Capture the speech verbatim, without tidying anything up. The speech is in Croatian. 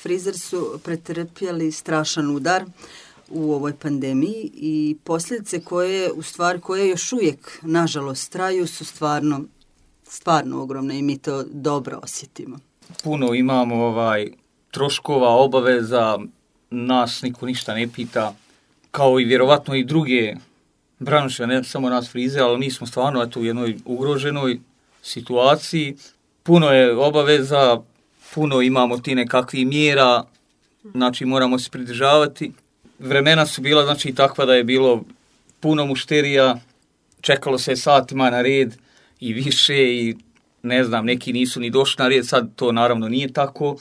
Frizeri su pretrpjeli strašan udar u ovoj pandemiji i posljedice koje, u stvari, koje još uvijek, nažalost, traju su stvarno, stvarno ogromne i mi to dobro osjetimo. Puno imamo ovaj troškova, obaveza, nas niko ništa ne pita, kao i vjerovatno i druge branše, ne samo nas frize, ali mi smo stvarno eto, u jednoj ugroženoj situaciji. Puno je obaveza, puno imamo ti nekakvih mjera, znači moramo se pridržavati. Vremena su bila znači takva da je bilo puno mušterija, čekalo se satima na red i više i ne znam, neki nisu ni došli na red, sad to naravno nije tako.